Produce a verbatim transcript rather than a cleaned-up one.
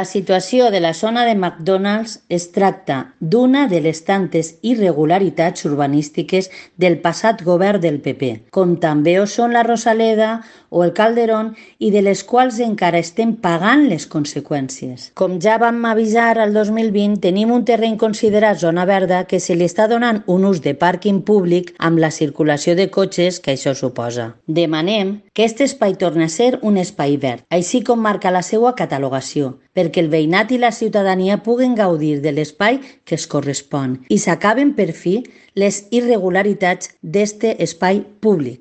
La situació de la zona de McDonald's es tracta d'una de les tantes irregularitats urbanístiques del passat govern del P P, com també ho són la Rosaleda o el Calderón i de les quals encara estem pagant les conseqüències. Com ja vam avisar al dos mil vint, tenim un terreny considerat zona verda que se li està donant un ús de pàrquing públic amb la circulació de cotxes que això suposa. Demanem que aquest espai torni a ser un espai verd, així com marca la seva catalogació, perquè el veïnat i la ciutadania puguen gaudir de l'espai que es correspon i s'acaben per fi les irregularitats d'este espai públic.